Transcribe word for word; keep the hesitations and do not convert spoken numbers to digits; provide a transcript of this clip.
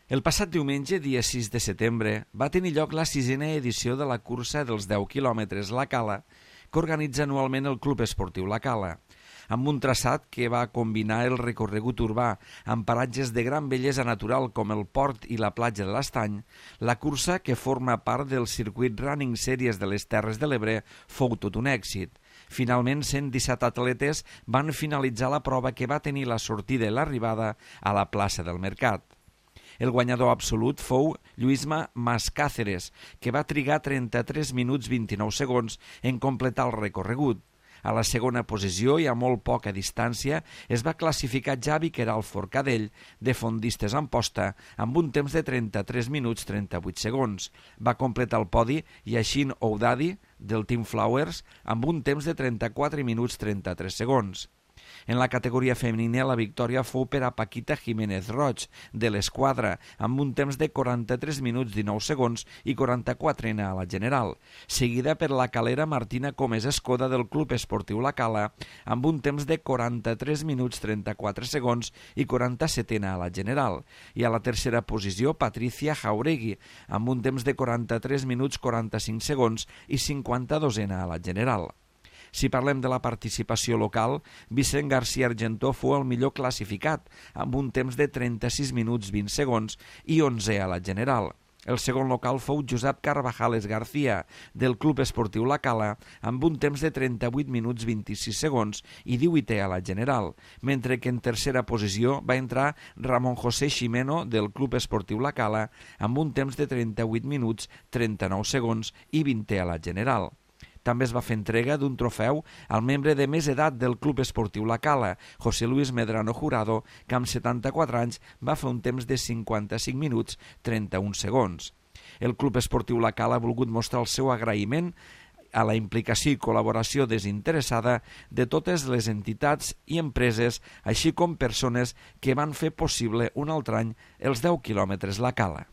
El passat diumenge, dia sis de setembre, va tenir lloc la sisena edició de la cursa dels deu quilòmetres La Cala, que organitza anualment el Club Esportiu La Cala, amb un traçat que va combinar el recorregut urbà amb paratges de gran bellesa natural com el port i la platja de l'Estany. La cursa, que forma part del circuit Running Series de les Terres de l'Ebre, fou tot un èxit. Finalment, cent disset atletes van finalitzar la prova, que va tenir la sortida i l'arribada a la plaça del Mercat. El guanyador absolut fou Lluïsma Mascàceres, que va trigar trenta-tres minuts vint-i-nou segons en completar el recorregut. A la segona posició i a molt poca distància es va classificar Javi Queralt Forcadell, de Fondistes Amposta, amb un temps de trenta-tres minuts trenta-vuit segons. Va completar el podi Yashin Oudadi, del Team Flowers, amb un temps de trenta-quatre minuts trenta-tres segons. En la categoria femenina, la victòria fou per a Paquita Jiménez Roig, de l'Esquadra, amb un temps de quaranta-tres minuts dinou segons i quaranta-quatre a la general, seguida per la calera Martina Comés Escoda, del Club Esportiu La Cala, amb un temps de quaranta-tres minuts trenta-quatre segons i quaranta-set a la general, i a la tercera posició Patricia Jauregui, amb un temps de quaranta-tres minuts quaranta-cinc segons i cinquanta-dos a la general. Si parlem de la participació local, Vicent García Argentó fou el millor classificat, amb un temps de trenta-sis minuts vint segons i onze a la general. El segon local fou Josep Carvajales García, del Club Esportiu La Cala, amb un temps de trenta-vuit minuts vint-i-sis segons i divuit a la general, mentre que en tercera posició va entrar Ramon José Ximeno, del Club Esportiu La Cala, amb un temps de trenta-vuit minuts trenta-nou segons i vint a la general. També es va fer entrega d'un trofeu al membre de més edat del Club Esportiu La Cala, José Luis Medrano Jurado, que amb setanta-quatre anys va fer un temps de cinquanta-cinc minuts trenta-un segons. El Club Esportiu La Cala ha volgut mostrar el seu agraïment a la implicació i col·laboració desinteressada de totes les entitats i empreses, així com persones que van fer possible un altre any els deu quilòmetres La Cala.